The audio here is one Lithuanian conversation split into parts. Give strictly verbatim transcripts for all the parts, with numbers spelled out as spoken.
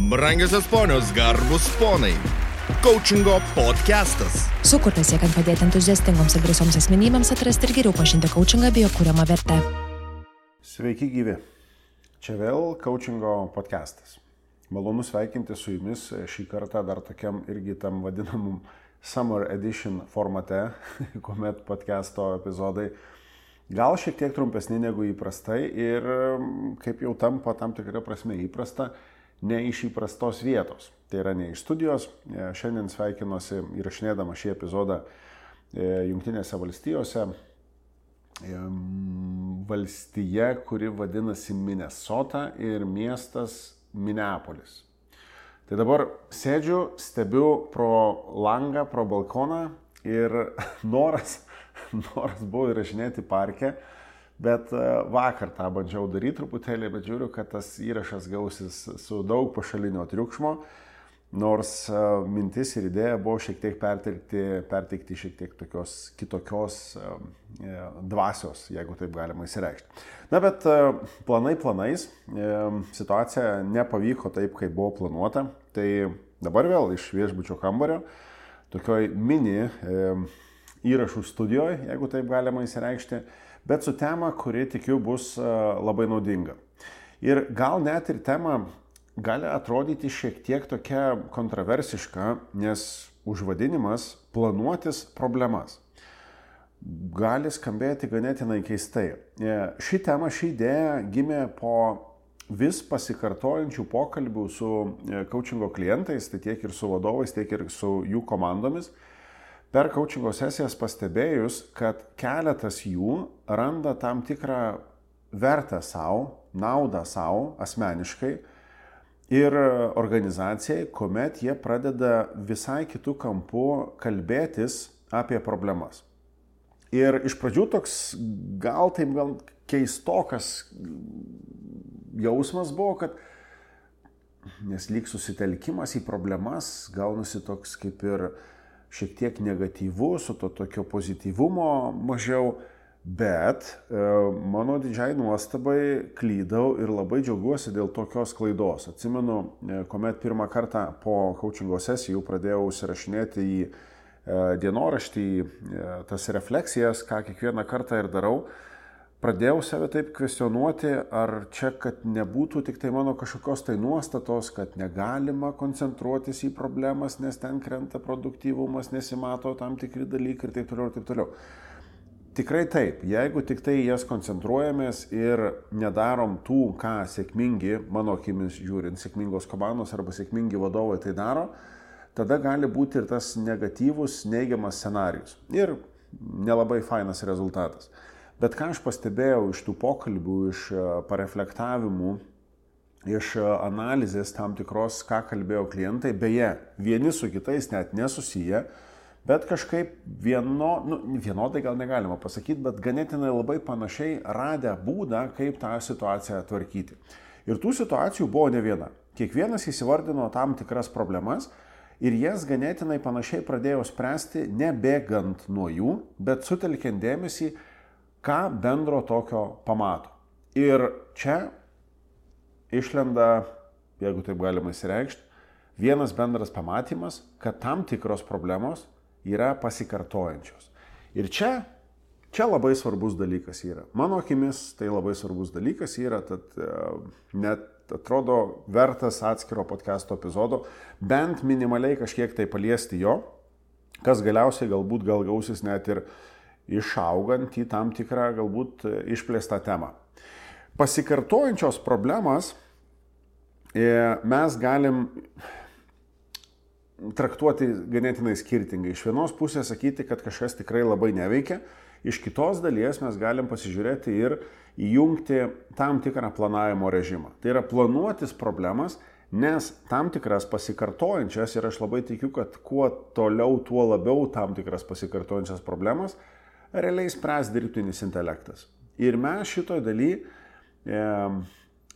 Brangiosios ponios, garbus ponai. Coachingo podcastas. Sukurtas siekiant padėti entuziastingoms ir drąsioms asmenybėms atrasti ir geriau pažinti coachingą bei jo kuriamą vertę. Sveiki gyvi. Čia vėl Coachingo podcastas. Malonu sveikinti su jumis šį kartą dar tokiam irgi tam vadinamum Summer Edition formate, kuomet podcasto epizodai gal šiek tiek trumpesni negu įprastai ir kaip jau tampa tam tikra prasme įprasta, ne iš įprastos vietos. Tai yra ne iš studijos. Šiandien sveikinuosi įrašinėdama šį epizodą Jungtinėse valstijose, valstija, kuri vadinasi Minnesota ir miestas Minneapolis. Tai dabar sėdžiu, stebiu pro langą, pro balkoną ir noras, noras buvo įrašinėti parke, bet vakar tą bandžiau daryti truputėlį, bet žiūriu, kad tas įrašas gausis su daug pašalinio triukšmo, nors mintis ir idėja buvo šiek tiek perteikti, perteikti šiek tiek tokios kitokios dvasios, jeigu taip galima įsireikšti. Na, bet planai planais, situacija nepavyko taip, kaip buvo planuota, tai dabar vėl iš viešbučio kambario, tokioj mini įrašų studijoje, jeigu taip galima įsireikšti, bet su tema, kuri tikiu bus labai naudinga. Ir gal net ir tema gali atrodyti šiek tiek tokia kontroversiška, nes užvadinimas planuotis problemas gali skambėti ganėtinai keistai. Ši tema, ši idėja gimė po vis pasikartojančių pokalbių su coachingo klientais, tai tiek ir su vadovais, tiek ir su jų komandomis. Per coachingo sesijas pastebėjus, kad keletas jų randa tam tikrą vertę savo, naudą savo asmeniškai ir organizacijai, kuomet jie pradeda visai kitų kampų kalbėtis apie problemas. Ir iš pradžių toks gal taip gal keistokas jausmas buvo, kad nes lyg susitelkimas į problemas gaunasi toks kaip ir šiek tiek negatyvus, su to tokio pozityvumo mažiau, bet e, mano didžiai nuostabai klydau ir labai džiaugiuosi dėl tokios klaidos. Atsimenu, e, kuomet pirmą kartą po coachingo sesijų pradėjau užsirašinėti į e, dienoraštį e, tas refleksijas, ką kiekvieną kartą ir darau, pradėjau save taip kvestionuoti, ar čia, kad nebūtų tik tai mano kažkokios tai nuostatos, kad negalima koncentruotis į problemas, nes ten krenta produktyvumas, nesimato tam tikri dalykai ir taip toliau ir taip toliau. Tikrai taip, jeigu tik tai jas koncentruojamės ir nedarom tų, ką sėkmingi, mano akimis žiūrint, sėkmingos komandos arba sėkmingi vadovai tai daro, tada gali būti ir tas negatyvus, neigiamas scenarijus ir nelabai fainas rezultatas. Bet ką aš pastebėjau iš tų pokalbių, iš pareflektavimų, iš analizės tam tikros, ką kalbėjo klientai, beje, vieni su kitais net nesusiję, bet kažkaip vieno, nu, vienodai gal negalima pasakyti, bet ganėtinai labai panašiai radę būdą, kaip tą situaciją tvarkyti. Ir tų situacijų buvo ne viena. Kiekvienas įsivardino tam tikras problemas ir jas ganėtinai panašiai pradėjo spręsti, nebėgant nuo jų, bet sutelkiant dėmesį, ką bendro tokio pamato. Ir čia išlenda, jeigu taip galima įsireikšti, vienas bendras pamatymas, kad tam tikros problemos yra pasikartojančios. Ir čia, čia labai svarbus dalykas yra. Mano akimis tai labai svarbus dalykas yra, tad net atrodo vertas atskiro podcasto epizodo, bent minimaliai kažkiek tai paliesti jo, kas galiausiai galbūt gal gausis net ir išaugant į tam tikrą galbūt išplėstą temą. Pasikartojančios problemas mes galim traktuoti ganėtinai skirtingai. Iš vienos pusės sakyti, kad kažkas tikrai labai neveikia, iš kitos dalies mes galim pasižiūrėti ir įjungti tam tikrą planavimo režimą. Tai yra planuotis problemas, nes tam tikras pasikartojančias, ir aš labai tikiu, kad kuo toliau, tuo labiau tam tikras pasikartojančias problemas realiai spręs dirbtinis intelektas. Ir mes šitoj daly, e,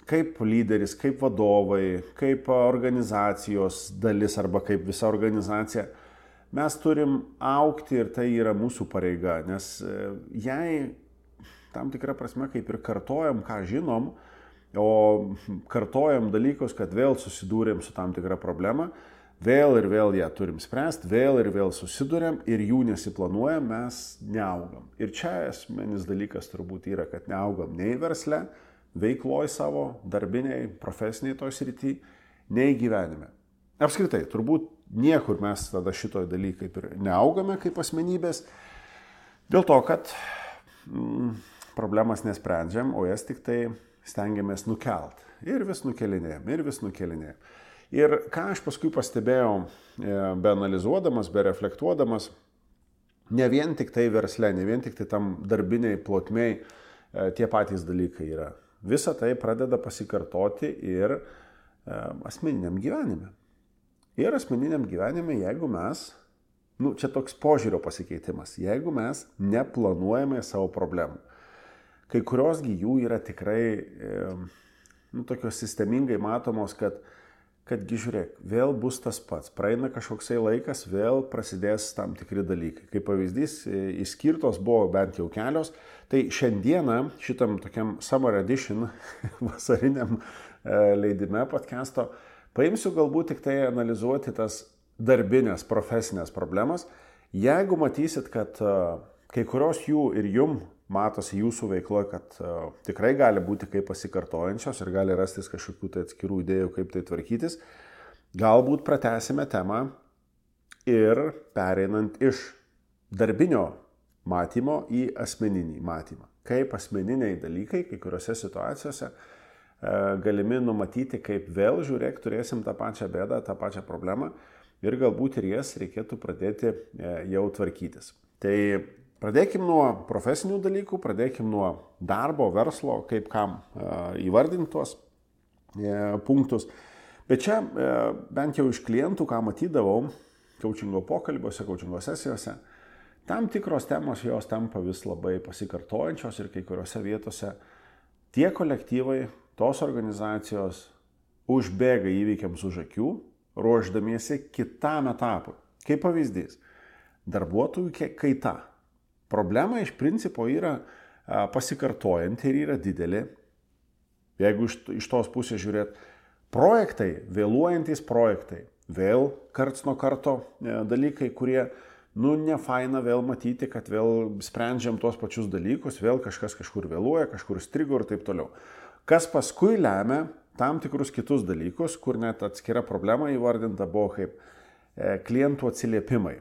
kaip lyderis, kaip vadovai, kaip organizacijos dalis arba kaip visa organizacija, mes turim augti ir tai yra mūsų pareiga, nes e, jei tam tikrą prasme kaip ir kartojam, ką žinom, o kartojam dalykus, kad vėl susidūrėm su tam tikra problema, vėl ir vėl ją turim spręsti, vėl ir vėl susidūrėm ir jų nesiplanuojam, mes neaugam. Ir čia esminis dalykas turbūt yra, kad neaugam nei versle, veikloj savo, darbiniai, profesiniai toj srity, nei gyvenime. Apskritai, turbūt niekur mes tada šitoj dalykai kaip ir neaugame kaip asmenybės, dėl to, kad mm, problemas nesprendžiam, o jas tik tai stengiamės nukelt. Ir vis nukelinėjom, ir vis nukelinėjom. Ir ką aš paskui pastebėjau, be analizuodamas, be reflektuodamas, ne vien tik tai versle, ne vien tik tai tam darbiniai plotmiai tie patys dalykai yra. Visa tai pradeda pasikartoti ir asmeniniam gyvenime. Ir asmeniniam gyvenime, jeigu mes, nu, čia toks požiūrio pasikeitimas, jeigu mes neplanuojame savo problemų. Kai kuriosgi jų yra tikrai nu, tokios sistemingai matomos, kad, kadgi žiūrėk, vėl bus tas pats, praeina kažkoksai laikas, vėl prasidės tam tikri dalykai. Kaip pavyzdys, išskirtos buvo bent jau kelios, tai šiandieną šitam tokiam Summer Edition vasariniam leidime podcast'o paimsiu galbūt tik tai analizuoti tas darbinės, profesinės problemas. Jeigu matysit, kad kai kurios jų ir jum matosi jūsų veikloje, kad uh, tikrai gali būti kaip pasikartojančios ir gali rastis kažkokių tai atskirų idėjų, kaip tai tvarkytis, galbūt pratęsime temą ir pereinant iš darbinio matymo į asmeninį matymą. Kaip asmeniniai dalykai, kai kuriuose situacijose uh, galimi numatyti, kaip vėl žiūrėk, turėsim tą pačią bėdą, tą pačią problemą ir galbūt ir jas reikėtų pradėti uh, jau tvarkytis. Tai pradėkim nuo profesinių dalykų, pradėkim nuo darbo, verslo, kaip kam e, įvardinti tuos e, punktus. Bet čia e, bent jau iš klientų, ką matydavau coachingo pokalbiuose, coachingo sesijose, tam tikros temos jos tampa vis labai pasikartojančios ir kai kuriuose vietose tie kolektyvai, tos organizacijos užbėga įvykiams už akių, ruošdamiesi kitam etapui. Kaip pavyzdys, darbuotojų kaita. Problema iš principo yra pasikartojanti ir yra didelė. Jeigu iš, iš tos pusės žiūrėt, projektai, vėluojantis projektai, vėl karts nuo karto dalykai, kurie, nu, nefaina vėl matyti, kad vėl sprendžiam tuos pačius dalykus, vėl kažkas kažkur vėluoja, kažkur strigo ir taip toliau. Kas paskui lemia tam tikrus kitus dalykus, kur net atskira problema įvardinta buvo kaip klientų atsiliepimai.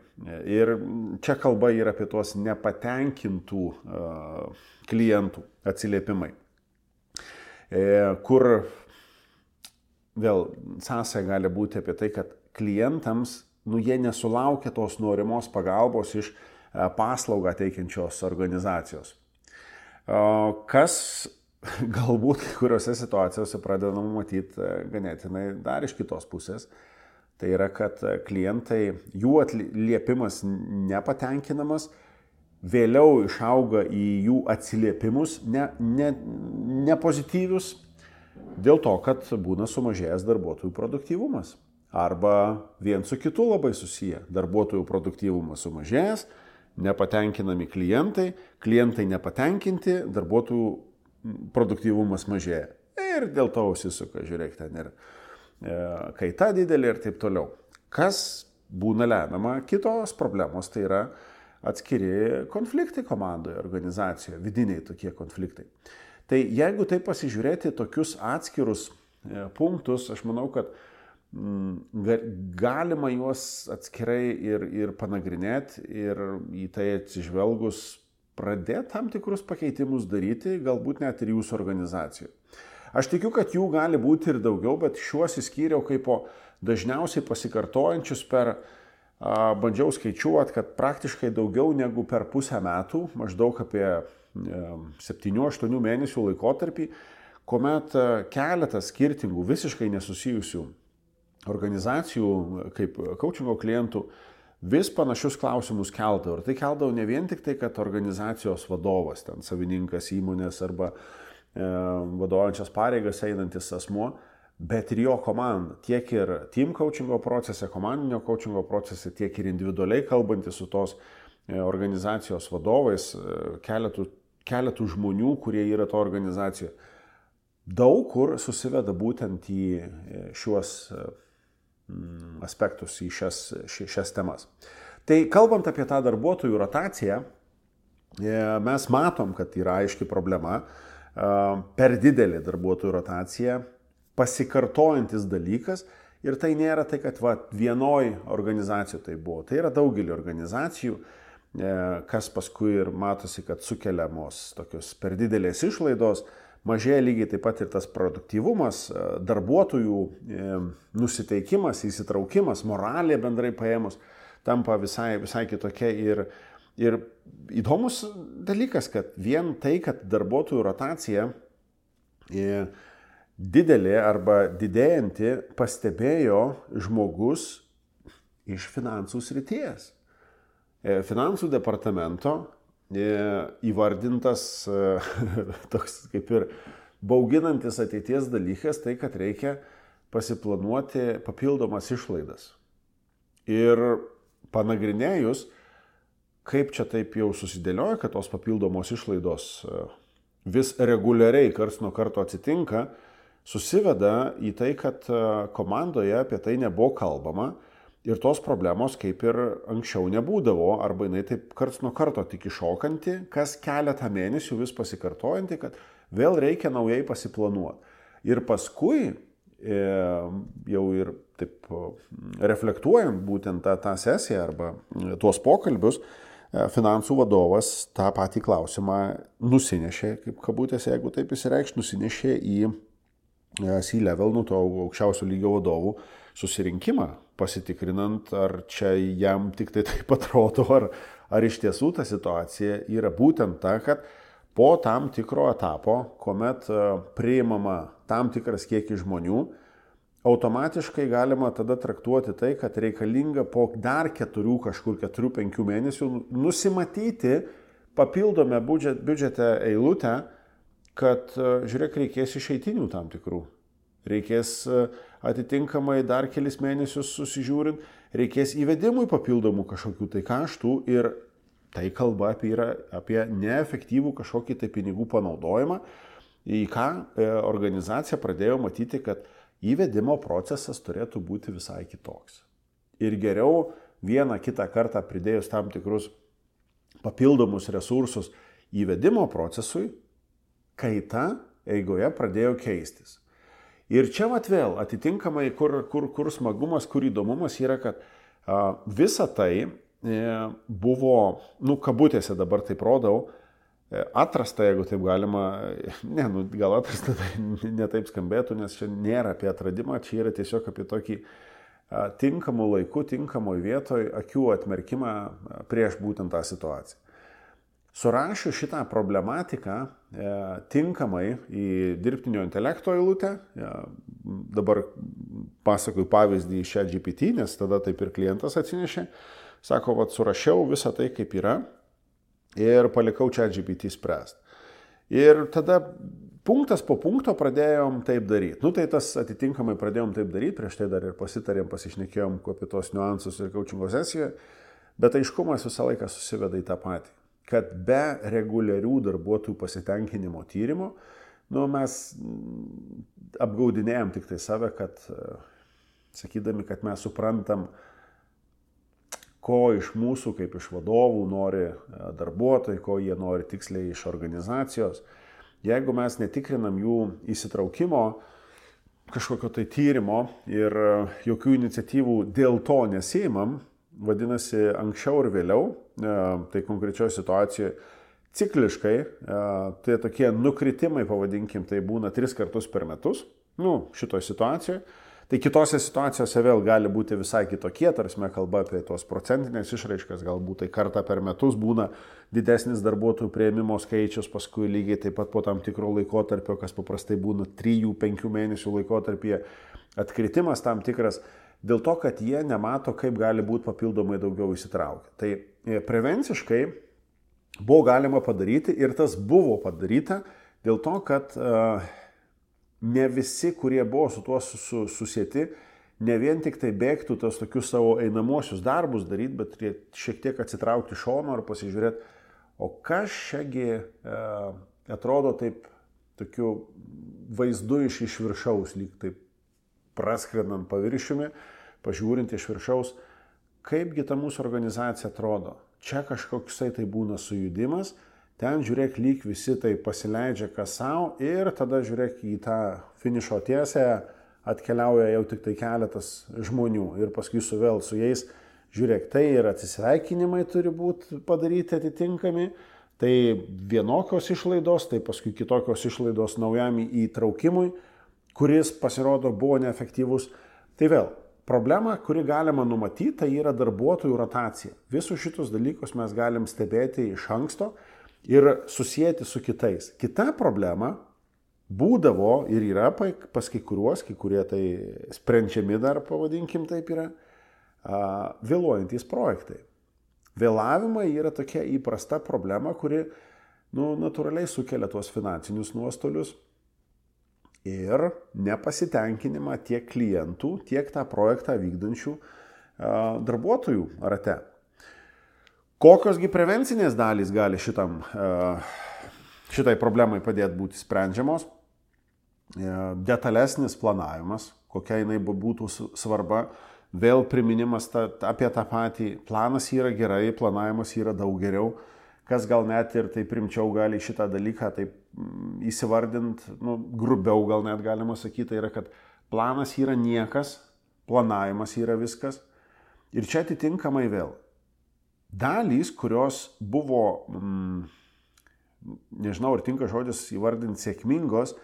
Ir čia kalba yra apie tuos nepatenkintų uh, klientų atsiliepimai, e, kur vėl sąsaja gali būti apie tai, kad klientams, nu, jie nesulaukia tos norimos pagalbos iš uh, paslaugą teikiančios organizacijos. Uh, kas galbūt kai kuriuose situacijose pradedama matyti uh, ganėtinai dar iš kitos pusės. Tai yra, kad klientai, jų atliepimas nepatenkinamas, vėliau išauga į jų atsiliepimus ne, ne, nepozityvius, dėl to, kad būna sumažėjęs darbuotojų produktyvumas. Arba vien su kitu labai susiję. Darbuotojų produktyvumas sumažėjęs, nepatenkinami klientai, klientai nepatenkinti, darbuotojų produktyvumas mažėja. Ir dėl to užsisuka, žiūrėk, ten ir kaita didelė ir taip toliau. Kas būna lemiama kitos problemos, tai yra atskiri konfliktai komandoje, organizacijoje, vidiniai tokie konfliktai. Tai jeigu tai pasižiūrėti tokius atskirus punktus, aš manau, kad galima juos atskirai ir, ir panagrinėti ir į tai atsižvelgus pradėti tam tikrus pakeitimus daryti, galbūt net ir jūsų organizacijoje. Aš tikiu, kad jų gali būti ir daugiau, bet šiuos įskyriau kaip po dažniausiai pasikartojančius per, a, bandžiau skaičiuoti, kad praktiškai daugiau negu per pusę metų, maždaug apie septynių aštuonių mėnesių laikotarpį, kuomet keletas skirtingų, visiškai nesusijusių organizacijų, kaip coachingo klientų, vis panašius klausimus keldavo. Ir tai keldavo ne vien tik tai, kad organizacijos vadovas, ten savininkas įmonės arba vadovaujančias pareigas einantis asmuo, bet ir jo komanda. Tiek ir team coachingo procese, komandinio coachingo procese, tiek ir individualiai kalbantis su tos organizacijos vadovais, keletų, keletų žmonių, kurie yra to organizacijoje. daug kur susiveda būtent į šiuos aspektus, į šias, šias temas. Tai kalbant apie tą darbuotojų rotaciją, mes matom, kad yra aiški problema, per didelė darbuotojų rotacija, pasikartojantis dalykas ir tai nėra tai, kad va, vienoj organizacijoje tai buvo, tai yra daugelį organizacijų, kas paskui ir matosi, kad sukeliamos tokios per didelės išlaidos, mažėja lygiai taip pat ir tas produktyvumas, darbuotojų nusiteikimas, įsitraukimas, moralė bendrai paėmus, tampa visai, visai kitokia ir, ir įdomus dalykas, kad vien tai, kad darbuotojų rotacija didelė arba didėjanti pastebėjo žmogus iš finansų srities. Finansų departamento įvardintas toks kaip ir bauginantis ateities dalykas, tai kad reikia pasiplanuoti papildomas išlaidas. Ir panagrinėjus, kaip čia taip jau susidėlioja, kad tos papildomos išlaidos vis reguliariai karts nuo karto atsitinka, susiveda į tai, kad komandoje apie tai nebuvo kalbama ir tos problemos kaip ir anksčiau nebūdavo, arba jinai taip karts nuo karto tik iššokanti, kas keletą mėnesių vis pasikartojanti, kad vėl reikia naujai pasiplanuoti. Ir paskui, jau ir taip reflektuojant būtent tą, tą sesiją arba tuos pokalbius, finansų vadovas tą patį klausimą nusinešė, kaip kabutėse, jeigu taip įsireikš, nusinešė į C-level, nu to aukščiausio lygio vadovų susirinkimą, pasitikrinant, ar čia jam tik tai taip atrodo, ar, ar iš tiesų ta situacija yra būtent ta, kad po tam tikro etapo, kuomet priimama tam tikras kiekis žmonių, automatiškai galima tada traktuoti tai, kad reikalinga po dar keturių, kažkur keturių, penkių mėnesių nusimatyti papildomę biudžete eilutę, kad, žiūrėk, reikės išeitinių tam tikrų. Reikės atitinkamai dar kelis mėnesius susižiūrint, reikės įvedimui papildomų kažkokių tai kaštų ir tai kalba apie, yra, apie neefektyvų kažkokį tai pinigų panaudojimą, į ką organizacija pradėjo matyti, kad įvedimo procesas turėtų būti visai kitoks. Ir geriau vieną kitą kartą pridėjus tam tikrus papildomus resursus įvedimo procesui, kaita eigoje pradėjo keistis. Ir čia vat vėl atitinkamai, kur, kur, kur smagumas, kur įdomumas yra, kad a, visa tai e, buvo, nu, kabutėse dabar taip rodau, e, atrasta, jeigu taip galima, ne, nu, gal atrasta tai ne taip skambėtų, nes čia nėra apie atradimą, čia yra tiesiog apie tokį a, tinkamų laikų, tinkamoj vietoj akių atmerkimą a, prieš būtent tą situaciją. Surašiu šitą problematiką e, tinkamai į dirbtinio intelekto eilutę. E, dabar pasakoju pavyzdį iš ChatGPT, nes tada taip ir klientas atsinešė. Sako, vat surašiau visą tai, kaip yra ir palikau ChatGPT spręsti. Ir tada punktas po punkto pradėjom taip daryti. Nu tai tas atitinkamai pradėjom taip daryti, prieš tai dar ir pasitarėm, pasišnekėjom apie tos niuansus ir coachingo sesijoje, bet aiškumas visą laiką susiveda į tą patį, kad be reguliarių darbuotojų pasitenkinimo tyrimo, nu, mes apgaudinėjom tik tai save, kad, sakydami, kad mes suprantam, ko iš mūsų, kaip iš vadovų nori darbuotojai, ko jie nori tiksliai iš organizacijos. Jeigu mes netikrinam jų įsitraukimo, kažkokio tai tyrimo ir jokių iniciatyvų dėl to nesiimam, vadinasi, anksčiau ir vėliau, tai konkrečioje situacijoje cikliškai, tai tokie nukritimai, pavadinkim, tai būna tris kartus per metus, nu, šitoje situacijoje. Tai kitose situacijose vėl gali būti visai kitokie, tarsi kalba apie tos procentinės išraiškas, galbūt tai kartą per metus būna didesnis darbuotojų priėmimo skaičius, paskui lygiai taip pat po tam tikro laikotarpio, kas paprastai būna trijų penkių mėnesių laikotarpyje, atkritimas tam tikras, dėl to, kad jie nemato, kaip gali būti papildomai daugiau įsitraukę. Tai prevenciškai buvo galima padaryti ir tas buvo padaryta dėl to, kad uh, ne visi, kurie buvo su tuo susieti, ne vien tik tai bėgtų tos tokius savo einamuosius darbus daryti, bet šiek tiek atsitraukti šono ir pasižiūrėti, o kas šiagi uh, atrodo taip tokiu vaizdu iš iš viršaus, lyg taip praskrendant paviršiumi, pažiūrint iš viršaus, kaipgi ta mūsų organizacija atrodo. Čia kažkoksai tai būna sujudimas, ten žiūrėk, lyg visi tai pasileidžia kas savo ir tada žiūrėk į tą finišo tiesę atkeliauja jau tik tai keletas žmonių ir paskui su vėl su jais, žiūrėk, tai ir atsisveikinimai turi būti padaryti atitinkami, tai vienokios išlaidos, tai paskui kitokios išlaidos naujam įtraukimui, kuris pasirodo buvo neefektyvus. Tai vėl, problema, kuri galima numatyti, tai yra darbuotojų rotacija. Visus šitus dalykus mes galim stebėti iš anksto ir susijęti su kitais. Kita problema būdavo ir yra pas kai kuriuos, kai kurie tai sprendžiami dar, pavadinkim taip yra, vėluojantys projektai. Vėlavimai yra tokia įprasta problema, kuri nu, natūraliai sukelia tuos finansinius nuostolius ir nepasitenkinimą tiek klientų, tiek tą projektą vykdančių darbuotojų rate. Kokiosgi prevencinės dalys gali šitam, šitai problemai padėti būti sprendžiamos? Detalesnis planavimas, kokia jinai būtų svarba, vėl priminimas ta, apie tą patį. Planas yra gerai, planavimas yra daug geriau. Kas gal net ir taip rimčiau gali šitą dalyką taip įsivardint, nu, grubiau gal net galima sakyti, yra, kad planas yra niekas, planavimas yra viskas. Ir čia atitinkamai vėl. Dalys, kurios buvo, mm, nežinau, ar tinka žodis įvardinti sėkmingos,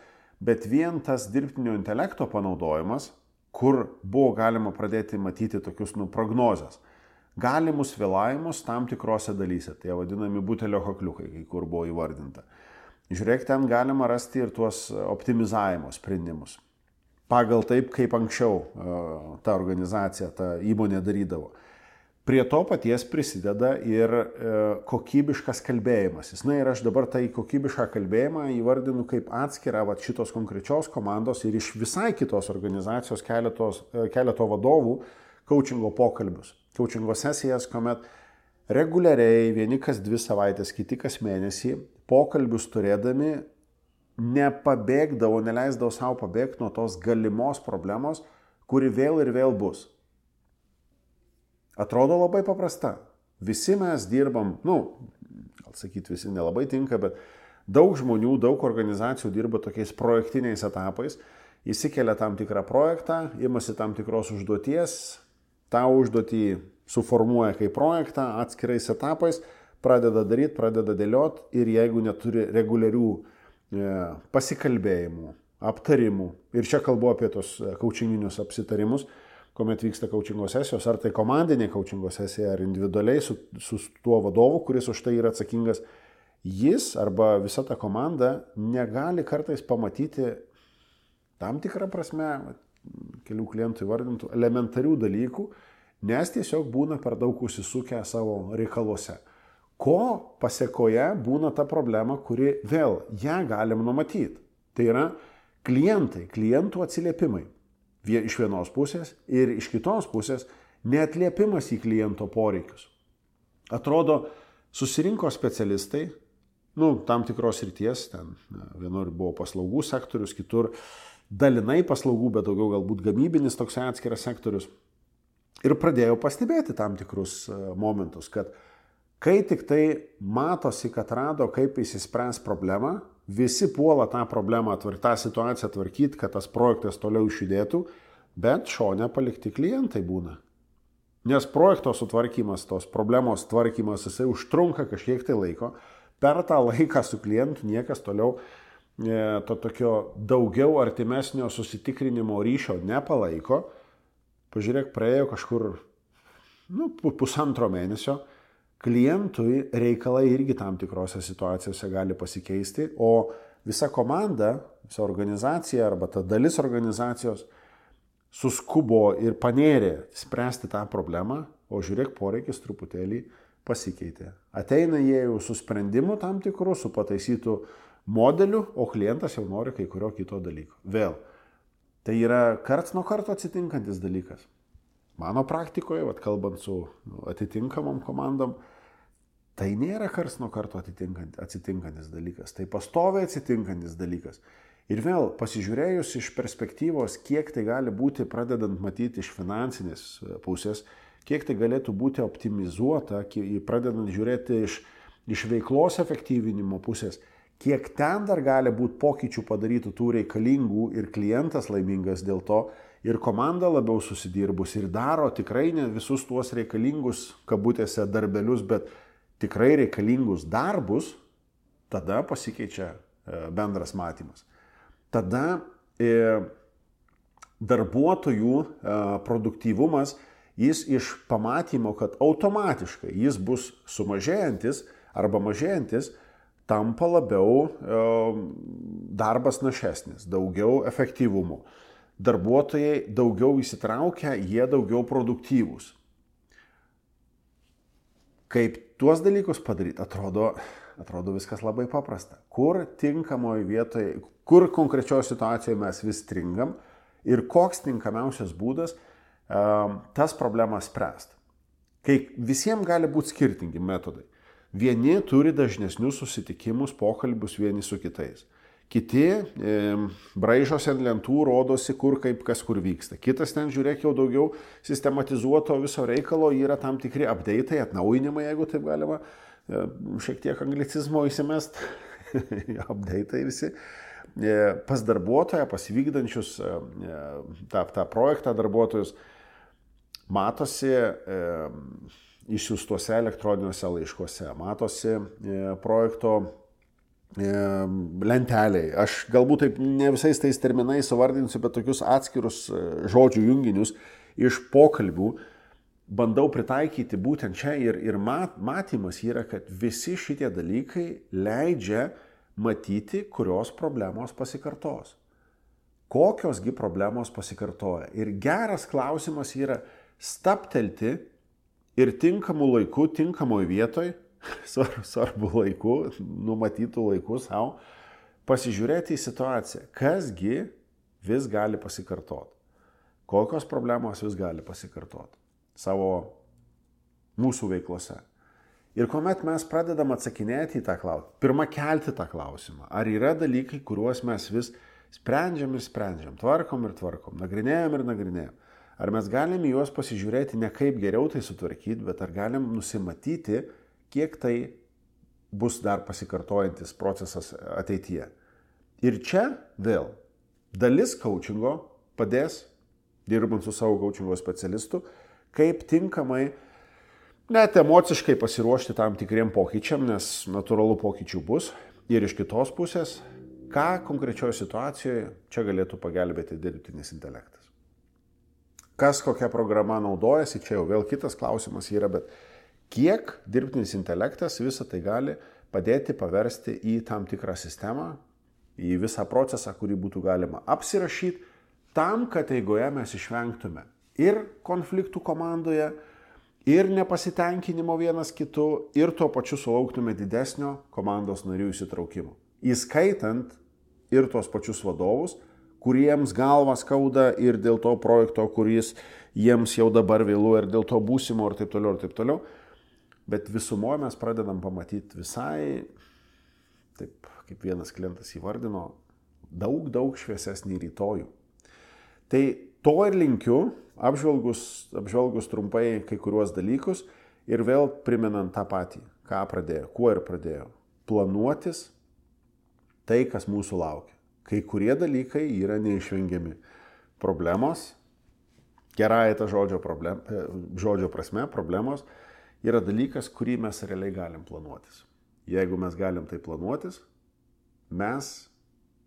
bet vien tas dirbtinio intelekto panaudojimas, kur buvo galima pradėti matyti tokius nu, prognozes, galimus vėlavimus tam tikrose dalyse, tai vadinami butelio kakliukai, kai kur buvo įvardinta. Žiūrėk, ten galima rasti ir tuos optimizavimo sprendimus. Pagal taip, kaip anksčiau ta organizacija, ta įmonė darydavo. Prie to paties prisideda ir e, kokybiškas kalbėjimasis. Na ir aš dabar tai kokybišką kalbėjimą įvardinu kaip atskirą vat, šitos konkrečios komandos ir iš visai kitos organizacijos keletos, keleto vadovų coachingo pokalbius. Coachingo sesijas, kuomet reguliariai vieni kas dvi savaitės, kiti kas mėnesį pokalbius turėdami nepabėgdavo, neleisdavo savo pabėgti nuo tos galimos problemos, kuri vėl ir vėl bus. Atrodo labai paprasta. Visi mes dirbam, nu, gal sakyti visi nelabai tinka, bet daug žmonių, daug organizacijų dirba tokiais projektiniais etapais, įsikelia tam tikrą projektą, imasi tam tikros užduoties, tą užduotį suformuoja kaip projektą atskirais etapais, pradeda daryti, pradeda dėlioti ir jeigu neturi reguliarių e, pasikalbėjimų, aptarimų, ir čia kalbu apie tos coachinginius apsitarimus, kuomet vyksta coachingo sesijos, ar tai komandinė coachingo sesija, ar individualiai su, su tuo vadovu, kuris už tai yra atsakingas, jis arba visa ta komanda negali kartais pamatyti tam tikrą prasme, kelių klientų įvardintų, elementarių dalykų, nes tiesiog būna per daug užsisukę savo reikaluose. Ko pasiekoje būna ta problema, kuri vėl ją galim numatyti. Tai yra klientai, klientų atsiliepimai. Iš vienos pusės ir iš kitos pusės neatliepimas į kliento poreikius. Atrodo, susirinko specialistai, nu, tam tikros ryties, ten vienur buvo paslaugų sektorius, kitur dalinai paslaugų, bet daugiau galbūt gamybinis toks atskiras sektorius. Ir pradėjau pastebėti tam tikrus momentus, kad kai tik tai matosi, kad rado, kaip įsispręs problemą, visi puola tą problemą, tą situaciją tvarkyti, kad tas projektas toliau išjudėtų, bet šone palikti klientai būna. Nes projekto sutvarkymas, tos problemos tvarkymas, jisai užtrunka kažkiek tai laiko. Per tą laiką su klientu niekas toliau e, to tokio daugiau artimesnio susitikrinimo ryšio nepalaiko. Pažiūrėk, praėjo kažkur nu, pusantro mėnesio. Klientui reikalai irgi tam tikrose situacijose gali pasikeisti, o visa komanda, visa organizacija arba ta dalis organizacijos suskubo ir panėrė spręsti tą problemą, o žiūrėk, poreikis truputėlį pasikeitė. Ateina jie jau su sprendimu tam tikru, su pataisytų modeliu, o klientas jau nori kai kurio kito dalyko. Vėl, tai yra karts nuo karto atsitinkantis dalykas. Mano praktikoje, vat, kalbant su atitinkamom komandom, tai nėra karts nuo karto atsitinkantis dalykas, tai pastoviai atsitinkantis dalykas. Ir vėl pasižiūrėjus iš perspektyvos, kiek tai gali būti, pradedant matyti iš finansinės pusės, kiek tai galėtų būti optimizuota, pradedant žiūrėti iš, iš veiklos efektyvinimo pusės, kiek ten dar gali būti pokyčių padarytų tų reikalingų ir klientas laimingas dėl to, ir komanda labiau susidirbus ir daro tikrai ne visus tuos reikalingus, kabutėse, darbelius, bet tikrai reikalingus darbus, tada pasikeičia bendras matymas. Tada e, darbuotojų e, produktyvumas, jis iš pamatymo, kad automatiškai jis bus sumažėjantis arba mažėjantis, tampa labiau e, darbas našesnis, daugiau efektyvumo. Darbuotojai daugiau įsitraukia, jie daugiau produktyvūs. Kaip tuos dalykus padaryti, atrodo, atrodo viskas labai paprasta. Kur tinkamoje vietoje, kur konkrečioje situacijoje mes vis stringam ir koks tinkamiausias būdas um, tas problemas spręsti. Kai visiems gali būti skirtingi metodai. Vieni turi dažnesnius susitikimus, pokalbius vieni su kitais. Kiti e, braižosi ant lentų, rodosi, kur kaip kas kur vyksta. Kitas ten, žiūrėk, jau daugiau sistematizuoto viso reikalo, yra tam tikri update'ai, atnaujinimai, jeigu taip galima, e, šiek tiek anglicizmo įsimest, update'ai visi. E, pas darbuotoją, pas vykdančius e, tą, tą projektą darbuotojus, matosi e, išsiųstuose elektroniniuose laiškuose, matosi e, projekto lenteliai. Aš galbūt taip ne visais tais terminais suvardinsiu, bet tokius atskirus žodžių junginius iš pokalbių bandau pritaikyti būtent čia ir, ir mat, matymas yra, kad visi šitie dalykai leidžia matyti, kurios problemos pasikartos. Kokiosgi problemos pasikartoja. Ir geras klausimas yra staptelti ir tinkamų laikų, tinkamoje vietoje, svarbu laiku, numatytų laikų savo, pasižiūrėti į situaciją, kasgi vis gali pasikartoti, kokios problemos vis gali pasikartoti savo mūsų veiklose. Ir kuomet mes pradedam atsakinėti į tą klausimą, pirmą kelti tą klausimą, ar yra dalykai, kuriuos mes vis sprendžiam ir sprendžiam, tvarkom ir tvarkom, nagrinėjam ir nagrinėjam. Ar mes galim juos pasižiūrėti ne kaip geriau tai sutvarkyti, bet ar galim nusimatyti, kiek tai bus dar pasikartojantis procesas ateityje. Ir čia vėl dalis coachingo padės, dirbant su savo coachingo specialistu, kaip tinkamai net emociškai pasiruošti tam tikriem pokyčiam, nes natūralų pokyčių bus. Ir iš kitos pusės, ką konkrečioje situacijoje čia galėtų pagelbėti dirbtinis intelektas. Kas kokia programa naudojasi, čia jau vėl kitas klausimas yra, bet kiek dirbtinis intelektas visą tai gali padėti paversti į tam tikrą sistemą, į visą procesą, kurį būtų galima apsirašyti, tam, kad eigoje mes išvengtume ir konfliktų komandoje, ir nepasitenkinimo vienas kitu, ir tuo pačiu sulauktume didesnio komandos narių įsitraukimo. Įskaitant ir tuos pačius vadovus, kuriems galva skauda ir dėl to projekto, kuris jiems jau dabar vėlu, ir dėl to būsimo, ir taip toliau, ir taip toliau. Bet visumoje mes pradedam pamatyti visai, taip kaip vienas klientas įvardino, daug, daug šviesesnį rytojų. Tai to ir linkiu, apžvelgus, apžvelgus trumpai kai kuriuos dalykus ir vėl primenant tą patį, ką pradėjo, kuo ir pradėjo. Planuotis tai, kas mūsų laukia. Kai kurie dalykai yra neišvengiami. Problemos, gerąją tą žodžio, problem, žodžio prasme, problemos, yra dalykas, kurį mes realiai galim planuotis. Jeigu mes galim tai planuotis, mes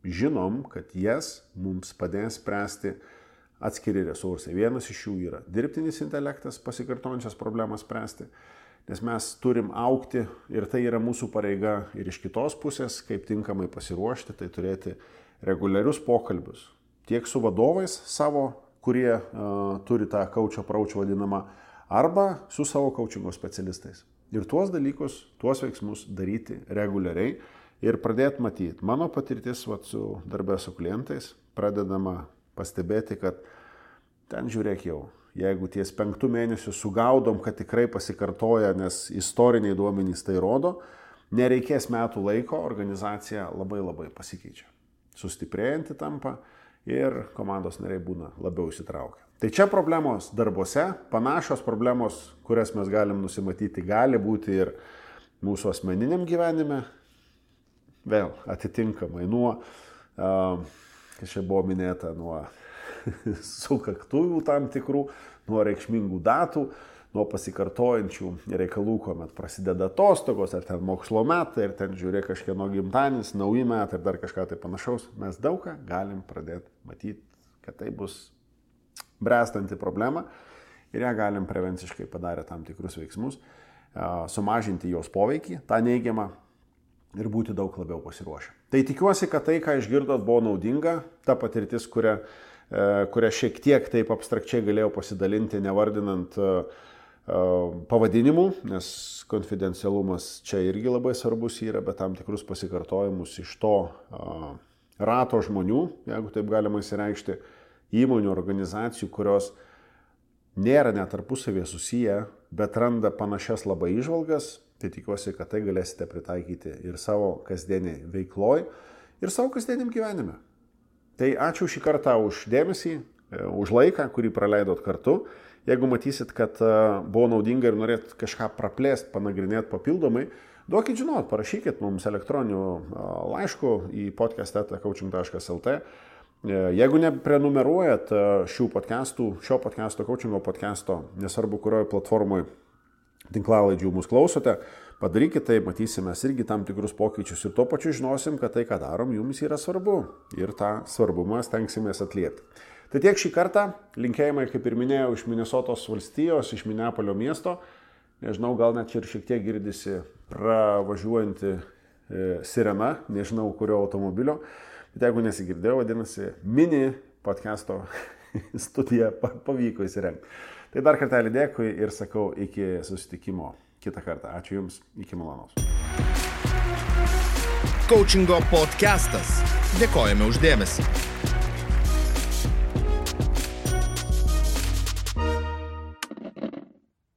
žinom, kad jas mums padės spręsti atskiri resursai. Vienas iš jų yra dirbtinis intelektas, pasikartojančias problemas spręsti, nes mes turim augti ir tai yra mūsų pareiga. Ir iš kitos pusės, kaip tinkamai pasiruošti, tai turėti reguliarius pokalbius tiek su vadovais savo, kurie uh, turi tą coach approach vadinamą, arba su savo coachingo specialistais. Ir tuos dalykus, tuos veiksmus daryti reguliariai ir pradėti matyti. Mano patirtis vat, su darbė su klientais pradedama pastebėti, kad ten žiūrėk jau jeigu ties penktų mėnesių sugaudom, kad tikrai pasikartoja, nes istoriniai duomenys tai rodo, nereikės metų laiko, organizacija labai labai pasikeičia. Sustiprėjanti tampa ir komandos nariai būna labiau įsitraukę. Tai čia problemos darbuose, panašios problemos, kurias mes galim nusimatyti, gali būti ir mūsų asmeniniam gyvenime, vėl atitinkamai nuo, kas čia buvo minėta, nuo sukaktuvių tam tikrų, nuo reikšmingų datų, nuo pasikartojančių reikalų, kuomet prasideda atostogos, ar ten mokslo metai, ir ten žiūrė kažkieno gimtadienis, nauji metai ir dar kažką tai panašaus, mes daug ką galim pradėti matyti, kad tai bus bręstanti problema ir ją galim prevenciškai padarę tam tikrus veiksmus, sumažinti jos poveikį, tą neigiamą ir būti daug labiau pasiruošę. Tai tikiuosi, kad tai, ką išgirdot, buvo naudinga, ta patirtis, kurią, kurią šiek tiek taip abstrakčiai galėjau pasidalinti, nevardinant pavadinimų, nes konfidencialumas čia irgi labai svarbus yra, bet tam tikrus pasikartojimus iš to rato žmonių, jeigu taip galima įsireikšti, įmonių, organizacijų, kurios nėra net tarpusavėje susiję, bet randa panašias labai įžvalgas, tai tikiuosi, kad tai galėsite pritaikyti ir savo kasdieniai veikloj, ir savo kasdieniam gyvenime. Tai ačiū šį kartą už dėmesį, už laiką, kurį praleidot kartu. Jeigu matysit, kad buvo naudinga ir norėt kažką praplėst, panagrinėti papildomai, duokit žinot, parašykit mums elektroniniu laišku į podcast eta coaching taškas lt. Jeigu neprenumeruojat šių podcastų, šio podcasto, coachingo podcasto, nesvarbu, kurioje platformoje tinklalaidžių mus klausote, padarykit tai, matysime irgi tam tikrus pokyčius ir tuo pačiu žinosim, kad tai, ką darom, jums yra svarbu ir tą svarbumą stengsimės atliepti. Tai tiek šį kartą, linkėjimai, kaip ir minėjau, iš Minesotos valstijos, iš Mineapolio miesto, nežinau, gal net ir šiek tiek girdisi pravažiuojanti e, sirena, nežinau, kurio automobilio. Bet jeigu nesigirdėjau, vadinasi, mini podcasto studiją pavyko įsirengti. Tai dar kartelį dėkui ir sakau iki susitikimo kitą kartą. Ačiū Jums, iki malonaus. Coachingo podcastas. Dėkojame už dėmesį.